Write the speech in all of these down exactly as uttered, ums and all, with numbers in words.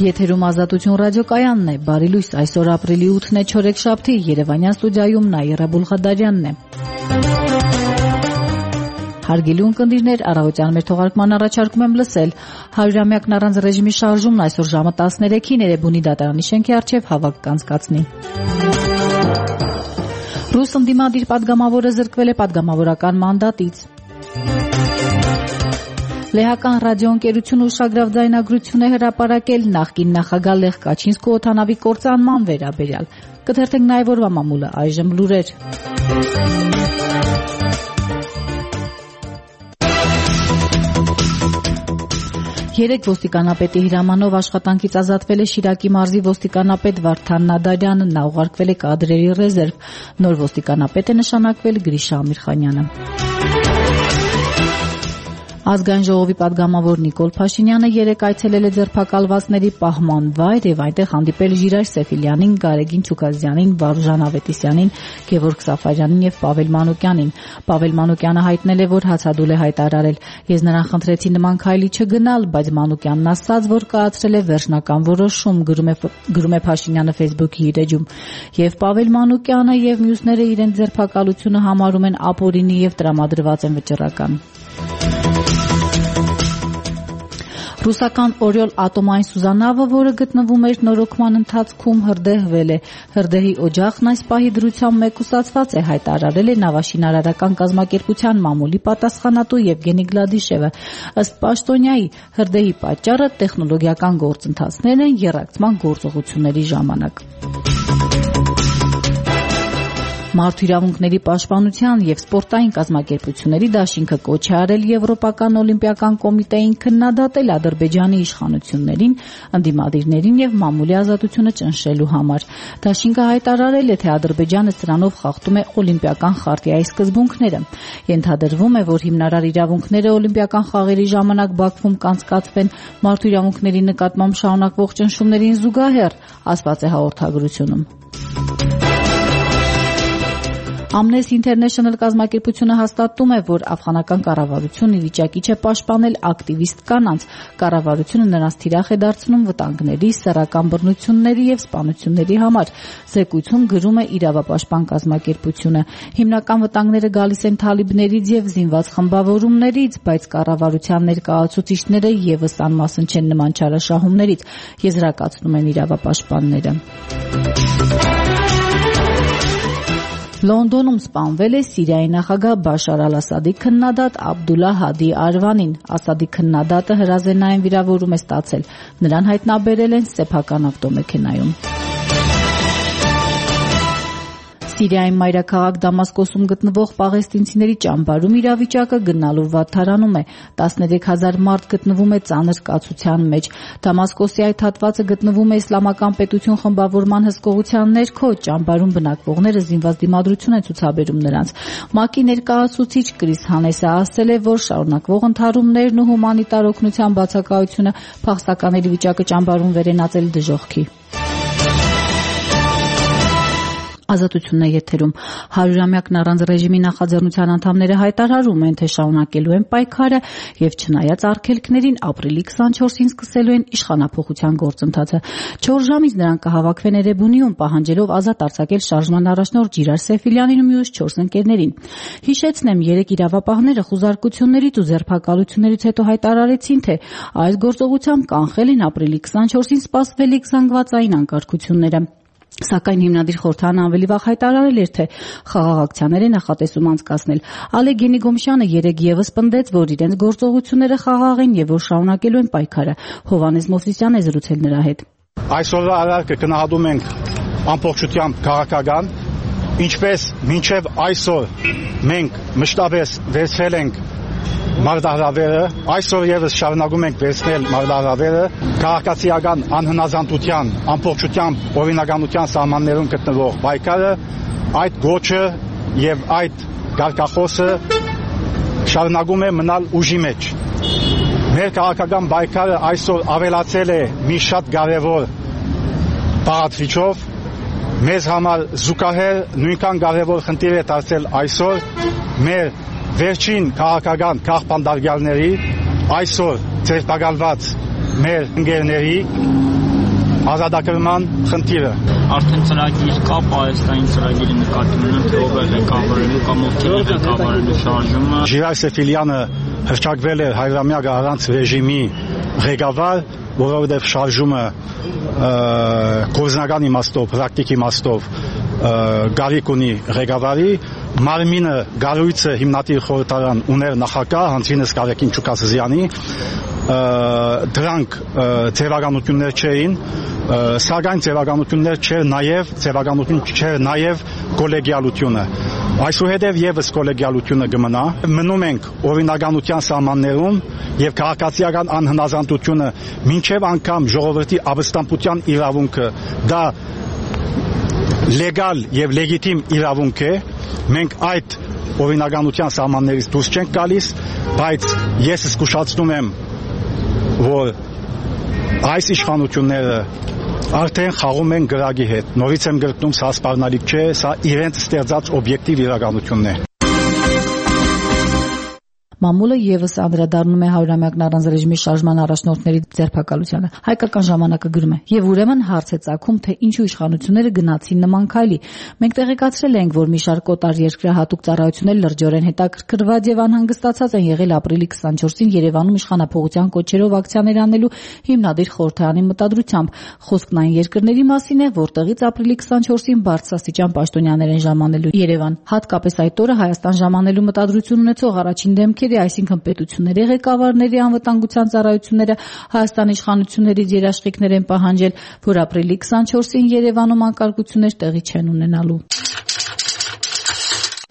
Եթերում Ազատություն ռադիոկայանն է, բարի լույս, այսօր ապրիլի ութն է, չորեքշաբթի, Երևանյան ստուդիայում Նաիրա Բուլղադարյանն է։ Հարգելի ունկնդիրներ, առավոտյան մեր թողարկման առաջարկում եմ լսել հարյուրամյակն առանց ռեժիմի շարժումն այսօր ժամը տասներեքին Էրեբունի դատարանի շենքի առջև հավաք կանցկացնի։ Ռուս ընդդիմադիր պատգամավորը զրկվել է պատգամավորական մանդատից։ Լեհական ռադիոընկերությունը ուշագրավ ձայնագրություն է հրապարակել նախկին նախագահ Լեխ Կաչինսկու օդանավի կործանման վերաբերյալ։ Կթերթենք նաև օրվա մամուլը, այժմ լուրեր։ Երեք ոստիկանապետի հրամանով աշխատանքից ազատվել է Շիրակի մարզի ոստիկանապետ Վարդան Նադարյանը, նա ուղարկվել է կադրերի ռեզերվ։ Նոր ոստիկանապետ է նշանակվել Գրիշա Ամիրխանյանը։ Ազգային ժողովի պատգամավոր Նիկոլ Փաշինյանը երեկ այցելել է ձերբակալվածների պահման վայր եւ այնտեղ հանդիպել Ժիրայր Սեֆիլյանին, Գարեգին Չուկազյանին, Վարուժան Ավետիսյանին, Գևորգ Սաֆարյանին եւ Պավել Մանուկյանին։ Պավել Մանուկյանը հայտնել է, որ հացադուլ է հայտարարել։ Ես նրան խնդրեցի նման քայլի չգնալ, բայց Մանուկյանն ասաց, որ կայացրել է վերջնական որոշում, գրում է գրում է Փաշինյանը Facebook-ի իր էջում։ Եվ Պավել Մանուկյանը եւ մյուսները իրենց ձերբակալությունը համարում են ապօրինի եւ տրամադրված են վճռական։ Ռուսական Օրիոլ ատոմային սուզանավը, որը գտնվում էր նորոգման ընթացքում, հրդեհվել է։ Հրդեհի օջախն այս պահի դրությամբ մեկուսացված է, հայտարարել է Նավաշինարարական կազմակերպության մամուլի պատասխանատու Եվգենի Գլադիշևը։ Ըստ պաշտոնյայի, հրդեհի պատճառը տեխնոլոգիական գործընթացներ են եռակցման գործողությունների ժամանակ։ Մարդու իրավունքների պաշտպանության եւ սպորտային կազմակերպությունների դաշինքը կոչ է արել Եվրոպական օլիմպիական կոմիտեին քննադատել Ադրբեջանի իշխանություններին, ընդդիմադիրներին եւ մամուլի ազատությունը ճնշելու համար։ Դաշինքը հայտարարել է, թե Ադրբեջանը սրանով խախտում է օլիմպիական խարտիայի սկզբունքները։ Ենթադրվում է, որ հիմնարար իրավունքները օլիմպիական խաղերի ժամանակ Բաքվում կանցկացվեն մարդու իրավունքների նկատմամբ շարունակվող ճնշումներին զուգահեռ, ասված է հաղորդագրությունում։ Amnesty International կազմակերպությունը հաստատում է, որ աֆղանական կառավարությունը վիճակի չէ պաշտպանել ակտիվիստ կանանց։ Կառավարությունը նրանց թիրախ է դարձնում վտանգների, սեռական բռնությունների եւ սպանությունների համար։ Զեկույցում գրում է իրավապաշտպան կազմակերպությունը։ Հիմնական վտանգները գալիս են թալիբներից եւ զինված խմբավորումներից, բայց կառավարության ներկայացուցիչները եւս անմասն չեն նման չարաշահումներից, եզրակացնում են իրավապաշտպանները։ Լոնդոնում սպանվել է Սիրիայի նախագահ Բաշար Ալ-Ասադի քննադատ Աբդուլլա Հադի Արվանին։ Ասադի քննադատը հրազենային վիրավորում է ստացել։ Նրան հայտնաբերել են սեփական ավտոմեքենայում։ Սիրիայի մայրաքաղաք Դամասկոսում գտնվող պաղեստինցիների ճամբարում իրավիճակը գնալով վատթարանում է։ տասներեք հազար մարդ գտնվում է ծանր կացության մեջ։ Դամասկոսի այդ հատվածը գտնվում է Իսլամական պետություն խմբավորման հսկողության ներքո, ճամբարում բնակվողները զինված դիմադրություն են ցուցաբերում նրանց։ ՄԱԿ-ի ներկայացուցիչ Կրիս Հանեսը ասել է, որ շարունակվող ընդհարումներն ու հումանիտար օգնության բացակայությունը փախստականների վիճակը ճամբարում վերենացել դժոխքի։ Ազատությունն է եթերում։ Հարյուրամյակն առանց ռեժիմի նախաձեռնության անդամները հայտարարում են, թե շարունակելու են պայքարը եւ չնայած արգելքներին ապրիլի քսանչորսին սկսելու են իշխանափոխության գործընթացը։ չորս ժամից նրանք կհավաքվեն Էրեբունիում, պահանջելով ազատ արձակել շարժման առաջնորդ Ժիրայր Սեֆիլյանին ու մյուս չորս ընկերներին։ Հիշեցնեմ, երեք իրավապահները խուզարկություններից ու ձերբակալություններից հետո հայտարարեցին, թե այս գործողությամբ կանխել են ապրիլի քսանչորսին սպասվելիք զանգվածային անկարգությունները։ Սակայն հիմնադիր խորհրդանը ավելի վաղ հայտարարել էր, թե խաղաղ ակցիաներ է նախատեսում անցկացնել։ Ալեկ Գենիգոմշյանը երեկ եւս պնդեց, որ իրենց գործողությունները խաղաղ են եւ որ շարունակելու են պայքարը։ Հովհաննես Մովսիսյանն է զրուցել նրա հետ։ Այսօրվա արարքը գնահատում ենք ամբողջությամբ քաղաքական, ինչպես մինչև այսօր մենք մշտապես վերցրել ենք մարտահրավերը, այսօր եւս շարունակում ենք վերցնել մարտահրավերը քաղաքացիական անհնազանդության, ամբողջությամբ օրինականության սահմաններում գտնվող պայքարը, այդ գոչը եւ այդ կարգախոսը շարունակում է մնալ ուժի մեջ։ Մեր քաղաքական պայքարը այսօր ավելացել է մի շատ կարևոր բաղադրիչով, մեզ համար զուգահեռ նույնքան կարևոր խնդիր է դարձել այսօր մեր վերջին քաղաքական քաղաքապետարների այսօր ձերբակալված մեր ընկերների ազատագրման խնդիրը։ Արդեն ծրագիր կա, Պահեստային ծրագիրի նկատի ունեմ, թե ով է ղեկավարելու կամ ովքեր է ղեկավարելու շարժումը։ Ժիրայր Սեֆիլյանը հռչակվել էր հայրամյակը առանց ռեժիմի ղեկավար, որովհետև շարժումը գործնական իմաստով, պրակտիկ իմաստով գարիք ունի ղեկավարի, մարմինը գարույցը հիմնադիր խորհրդարան ուներ նախագահ Հանձինս Կարեկին Չուկասզյանի, դրանք ձևականություններ չէին, սակայն ձևականություններ չէր նաև ձևականություն չէր նաև կոլեգիալությունը։ Այսուհետև եւս կոլեգիալությունը կմնա։ Մնում ենք օրինականության սահմաններում եւ քաղաքացիական անհնազանդությունը մինչեւ անգամ ժողովրդի ապստամբության իրավունքը դա լեգալ եւ լեգիտիմ իրավունք է։ Մենք այդ օրինականության սահմաններից դուրս չենք գալիս, բայց ես զգուշացնում եմ, որ այս իշխանությունները արդեն խաղում են գրագի հետ։ Նորից եմ գրկնում, սա սպառնալիք չէ, սա իրենց ստեղծած օբյեկտիվ իրականությունն է։ Մամուլը եւս անդրադառնում է հարյուրամյակն առանց ռեժիմի շարժման առաջնորդների ձերբակալությանը։ Հայկական ժամանակը գրում է. «Եվ ուրեմն հարց է ծագում, թե ինչու իշխանությունները գնացին նման քայլի։ Մենք տեղեկացրել ենք, որ մի շարք օտար երկրահատուկ ծառայություններ լրջորեն հետաքրքրված եւ անհանգստացած են եղել ապրիլի քսանչորսին Երևանում իշխանափոխության կոչերով ակցիաներ անելու հիմնադիր խորհրդարանի մտադրությամբ։ Խոսքն այն երկրների մասին է, որտեղից ապրիլի քսանչորսին բարձրաստիճան պաշտոնյաներ են ժամանելու Երևան։ Հատկապես այդ օրը Հայաստան ժամանելու մտադրություն ունեցող առաջին դեմքեր, այսինքն պետությունների ղեկավարների անվտանգության ծառայությունները Հայաստանի իշխանություններից երաշխիքներ են պահանջել, որ ապրիլի քսանչորսին Երևանում անկարգություններ տեղի չեն ունենալու»։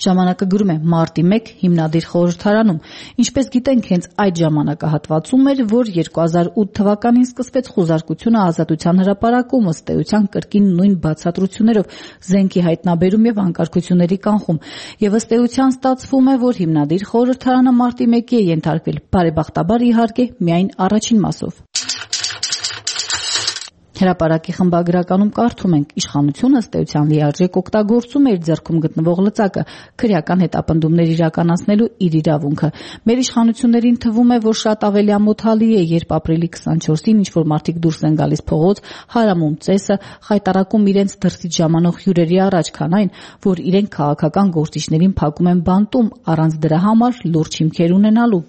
Ժամանակը գրում է. «Մարտի մեկը հիմնադիր խորհրդարանում։ Ինչպես գիտենք, հենց այդ ժամանակահատվածում էր, որ երկու հազար ութ թվականին սկսվեց խուզարկությունը Ազատության հրապարակում, ըստ էության կրկին նույն բացատրություններով, զենքի հայտնաբերում եւ անկարգությունների կանխում։ Եվ ըստ էության ստացվում է, որ հիմնադիր խորհրդարանը մարտի մեկի է ենթարկվել, բարեբախտաբար իհարկե միայն առաջին մասով»։ Հրապարակի խմբագրականում կարդում ենք. «Իշխանությունը ըստ էության լիարժեք օգտագործում է իր ձեռքում գտնվող լծակը, քրեական հետապնդումներ իրականացնելու իր իրավունքը։ Մեր իշխանություններին թվում է, որ շատ ավելի ամոթալի է, երբ ապրիլի քսանչորսին ինչ-որ մարդիկ դուրս են գալիս փողոց, հարամում ծեսը, խայտարակում իրենց դրսից ժամանող հյուրերի առաջ, քան այն, որ իրենք քաղաքական գործիչներին փակում են բանտում, առանց դրա համար լուրջ հիմքեր ունենալու»։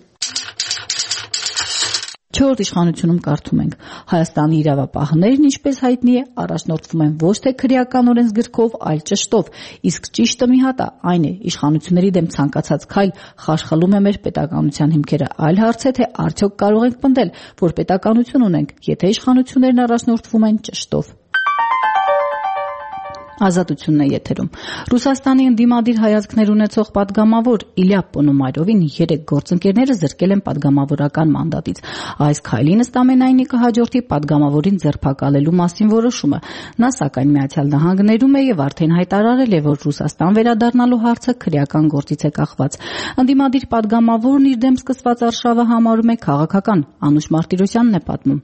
Չորրորդ իշխանությունում կարդում ենք. «Հայաստանի իրավապահներն, ինչպես հայտնի է, առաջնորդվում են ոչ թե քրեական օրենսգրքով, այլ ճշտով, իսկ ճիշտը մի հատ է, այն է, իշխանությունների դեմ ցանկացած քայլ խարխլում է մեր պետականության հիմքերը, այլ հարց է, թե արդյոք կարող ենք պնդել, որ պետականություն ունենք, եթե իշխանություններն առաջնորդվում են ճշտով»։ Ազատությունն է եթերում։ Ռուսաստանի ընդդիմադիր հայացքներ ունեցող պատգամավոր Իլյա Պոնոմարովին երեք գործընկերները զրկել են պատգամավորական մանդատից։ Այս քայլին ըստ ամենայնի կհաջորդի պատգամավորին ձերբակալելու մասին որոշումը։ Նա սակայն Միացյալ Նահանգներում է եւ արդեն հայտարարել է, որ Ռուսաստան վերադառնալու հարցը քրեական գործից է կախված։ Ընդդիմադիր պատգամավորն իր դեմ սկսված արշավը համարում է քաղաքական։ Անուշ Մարտիրոսյանն է պատմում։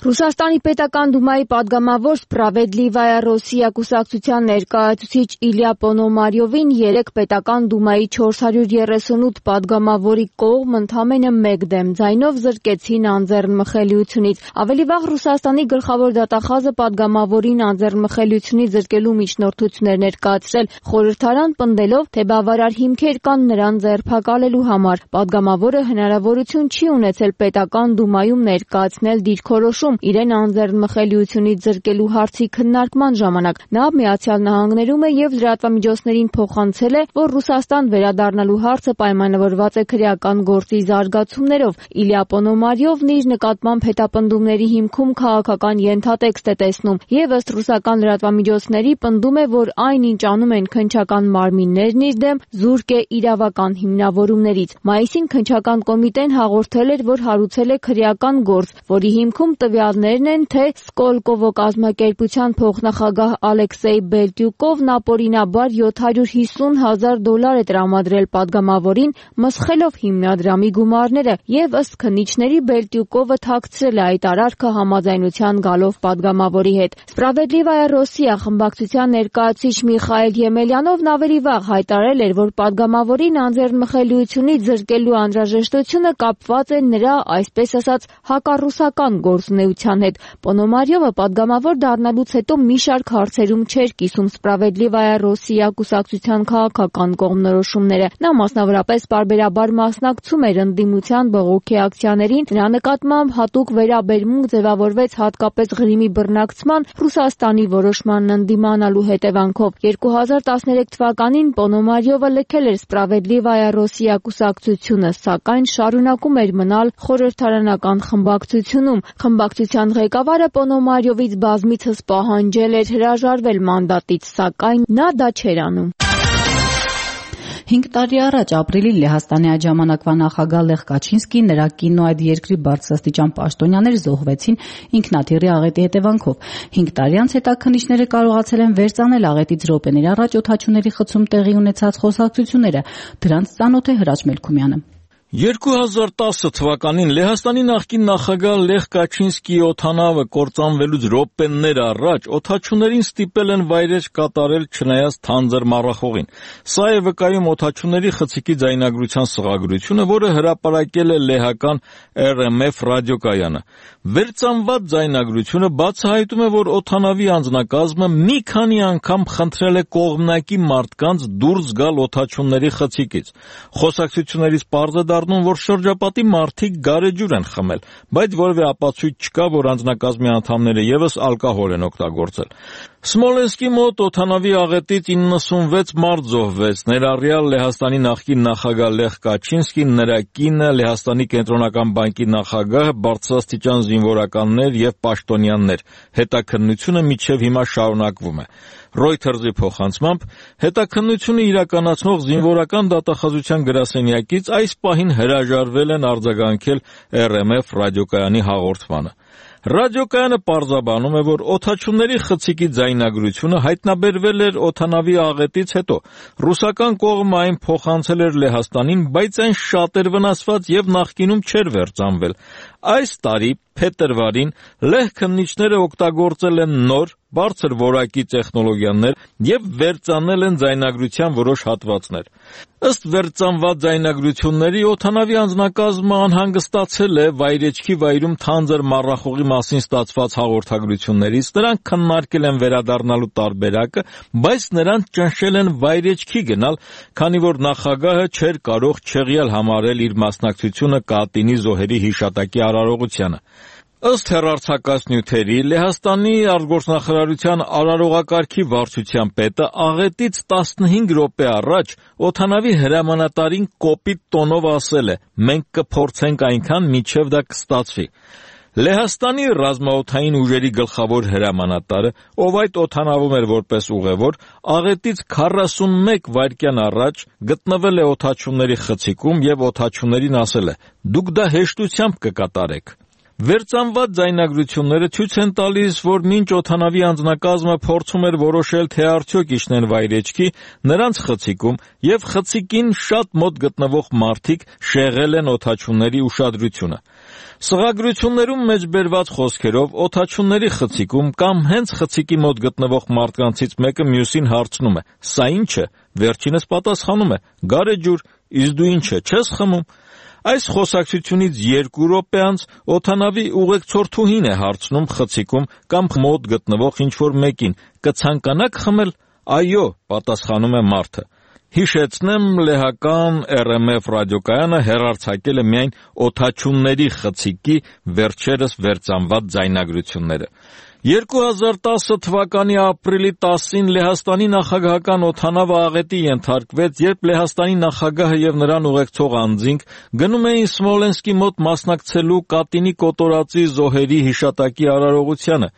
Ռուսաստանի պետական դումայի падգամավոր Սպրավեդլիվայա Ռոսիա կուսակցության ներկայացուցիչ Իլյա Պոնոմարյովին երեք պետական դումայի չորս հարյուր երեսունութ падգամավորի կողմ ընդամենը մեկ դեմ ձայնով զրկեցին անձեռնմխելիությունից։ Ավելի վաղ Ռուսաստանի գլխավոր դատախազը падգամավորին անձեռնմխելիությունից զրկելու միջնորդություններ ներկայացրել, խորհրդարան պնդելով, թե բավարար հիմքեր կան նրան ձերբակալելու համար։ Падգամավորը հնարավորություն չի ունեցել պետական դումայում ներկայացնել դիրքորոշում իրեն անձեռնմխելիությունից զրկելու հարցի քննարկման ժամանակ։ Նա Միացյալ Նահանգներում է եւ լրատվամիջոցներին փոխանցել է, որ Ռուսաստան վերադառնալու հարցը պայմանավորված է քրեական գործի զարգացումներով։ Իլյա Պոնոմարյովն իր նկատմամբ հետապնդումների հիմքում քաղաքական ենթատեքստ է տեսնում եւ ըստ ռուսական լրատվամիջոցների պնդում է, որ այն, ինչ անում են քննչական մարմիններն իր դեմ, զուրկ է իրավական հիմնավորումներից։ Մայիսին քննչական կոմիտեն հաղորդել էր, որ հարուցել է քրեական գործ, որի հիմքում տվյալներն են, թե Սկոլկովո կազմակերպության փոխնախագահ Ալեքսեյ Բելտյուկովն ապօրինաբար յոթ հարյուր հիսուն հազար դոլար է տրամադրել падգամավորին, մսխելով հիմնադրամի գումարները, եւ ըստ քննիչների Բելտյուկովը թաքցրել է այդ արարքը համաձայնության գալով падգամավորի հետ։ Սպրավեդլիվայա Ռոսիա խմբակցության ներկայացուցիչ Միխայել Եմելյանովն ավելի վաղ հայտարարել էր, որ падգամավորին անձեռնմխելիությունից զրկելու անհրաժեշտությունը կապված է նրա, այսպես ասած, հակառուսական գործունեությունների կենսաբանության հետ։ Պոնոմարյովը պատգամավոր դառնալուց հետո մի շարք հարցերում չէր կիսում Սպրավեդլիվայա Ռոսիա կուսակցության քաղաքական կողմնորոշումները։ Նա մասնավորապես պարբերաբար մասնակցում էր ընդդիմության բողոքի ակցիաներին, նրա նկատմամբ հատուկ վերաբերմունք ձևավորվեց հատկապես Ղրիմի բռնակցման Ռուսաստանի որոշմանն ընդդիմանալու հետևանքով։ երկու հազար տասներեք թվականին Պոնոմարյովը լքել էր Սպրավեդլիվայա Ռոսիա կուսակցությունը, սակայն շարունակում էր մնալ խորհրդարանական խմբակցությունում։ Խմբակցության ղեկավարը Պոնոմարյովից բազմիցս պահանջել էր հրաժարվել մանդատից, սակայն նա դա չէր անում։ Հինգ տարի առաջ ապրիլին Լեհաստանի այդ ժամանակվա նախագահ Լեխ Կաչինսկին, նրա կինն ու այդ երկրի բարձրաստիճան պաշտոնյաներ զոհվեցին ինքնաթիռի աղետի հետևանքով։ Հինգ տարի անց հետաքննիչները կարողացել են վերծանել աղետից րոպեների առաջ օդաչուների խցում տեղի ունեցած խոսակցությունները։ Դրանց ծանոթ է Հրաչ Մելքումյանը։ երկու հազար տասը թվականին Լեհաստանի նախկին նախագահ Լեխ Կաչինսկիի օդանավը կործանվելուց րոպեներ առաջ օդաչուներին ստիպել են վայրէջք կատարել չնայած թանձր մառախողին։ Սա է վկայում օդաչուների խցիկի ձայնագրության սղագրությունը, որը հրապարակել է լեհական Эр Էմ Էֆ ռադիոկայանը։ Վերծանված ձայնագրությունը բացահայտում է, որ օդանավի անձնակազմը մի քանի անգամ խնդրել է կողմնակի մարդկանց դուրս գալ օդաչուների խցիկից։ Խոսակցություններից պարզ է դառնում, որ շրջապատի մարդիկ գարեջուր են խմել, բայց որևէ ապացույց չկա, որ անձնակազմի անդամները ևս ալկոհոլ են օգտագործել։ Սմոլենսկի մոտ օդանավի աղետից իննսունվեց մարդ զոհվեց, ներառյալ Լեհաստանի նախկին նախագահ Լեխ Կաչինսկին, նրա կինը, Լեհաստանի կենտրոնական բանկի նախագահը, բարձրաստիճան զինվորականներ եւ պաշտոնյաներ։ Հետաքննությունը մինչեւ հիմա շարունակվում է։ Reuters-ի փոխանցմամբ հետաքննությունը իրականացնող զինվորական դատախազության գրասենյակից այս պահին հրաժարվել են արձագանքել Эр Էմ Էֆ ռադիոկայանի հաղորդմանը։ Ռադիոկայանը պարզաբանում է, որ օդաչուների խցիկի ձայնագրությունը հայտնաբերվել էր օդանավի աղետից հետո։ Ռուսական կողմը այն փոխանցել էր Լեհաստանին, բայց այն շատ էր վնասված եւ նախկինում չէր վերծանվել։ Այս տարի փետրվարին լեհ քննիչները օգտագործել են նոր, բարձր որակի տեխնոլոգիաներ եւ վերծանել են ձայնագրության որոշ հատվածներ։ Ըստ վերծանված ձայնագրությունների օդանավի անձնակազմը անհանգստացել է վայրեջքի վայրում թանձր մառախողի մասին ստացված հաղորդագրություններից, նրանք քննարկել են վերադառնալու տարբերակը, բայց նրանց ճնշել են վայրեջքի գնալ, քանի որ նախագահը չէր կարող չեղյալ համարել իր մասնակցությունը Կատինի զոհերի հիշատակի արարողությանը։ Ըստ հեռարձակած նյութերի, Լեհաստանի արտգործնախարարության արարողակարգի վարչության պետը աղետից տասնհինգ րոպե առաջ օդանավի հրամանատարին կոպիտ տոնով ասել է. «Մենք կփորձենք այնքան, մինչև դա կստացվի»։ Լեհաստանի ռազմաօդային ուժերի գլխավոր հրամանատարը, ով այդ օդանավում էր որպես ուղևոր, աղետից քառասունմեկ վայրկյան առաջ գտնվել է օդաչուների խցիկում եւ օդաչուներին ասել է. «Դուք դա հեշտությամբ կկատարեք»։ Վերծանված ձայնագրությունները ցույց են տալիս, որ մինչ օդանավի անձնակազմը փորձում էր որոշել, թե արդյոք իջնեն վայրեջքի, նրանց խցիկում եւ խցիկին շատ մոտ գտնվող մարդիկ շեղել են օդաչուների ուշադրությունը։ Սղագրություններում մեջբերված խոսքերով օդաչուների խցիկում կամ հենց խցիկի մոտ գտնվող մարդկանցից մեկը մյուսին հարցնում է. «Սա ի՞նչ է»։ Վերջինս պատասխանում է. «Գարեջուր, իսկ դու ի՞նչ է, չես խմում»։ Այս խոսակցությունից երկու րոպե անց օդանավի ուղեկցորդուհին է հարցնում խցիկում կամ մոտ գտնվող ինչ-որ մեկին. «Կցանկանաք խմել»։ «Այո», պատասխանում է մարդը։ Հիշեցնեմ, լեհական Эр Էմ Էֆ ռադիոկայանը հեռարձակել է միայն օդաչուների խցիկի վերջերս վերծանված ձայնագրությունները։ երկու հազար տասը թվականի ապրիլի տասին Լեհաստանի նախագահական օդանավը աղետի ենթարկվեց, երբ Լեհաստանի նախագահը եւ նրան ուղեկցող անձինք գնում էին Սմոլենսկի մոտ մասնակցելու Կատինի կոտորածի զոհերի հիշատակի արարողությանը։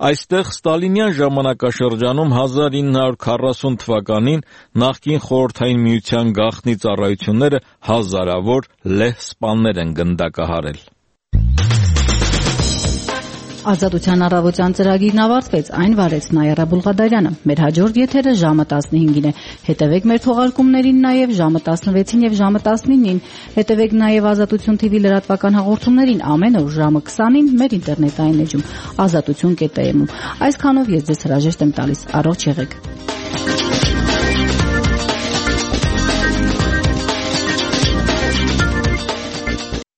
Այստեղ ստալինյան ժամանակաշրջանում հազար ինը հարյուր քառասուն թվականին նախկին Խորհրդային Միության գաղտնի ծառայությունները հազարավոր լեհ սպաներ են գնդակահարել։ Ազատության առավոտյան ծրագիրն ավարտվեց, այն վարեց Նաիրա Բուլղադարյանը։ Մեր հաջորդ եթերը ժամը տասնհինգին է։ Հետևեք մեր թողարկումներին նաև ժամը տասնվեցին եւ ժամը տասնինին։ Հետևեք նաև Ազատություն թիվի լրատվական հաղորդումներին ամեն օր ժամը քսանին մեր ինտերնետային էջում ազատություն կետ էմ-ում։ Այսքանով ես ձեզ հրաժեշտ եմ տալիս։ Առողջ եղեք։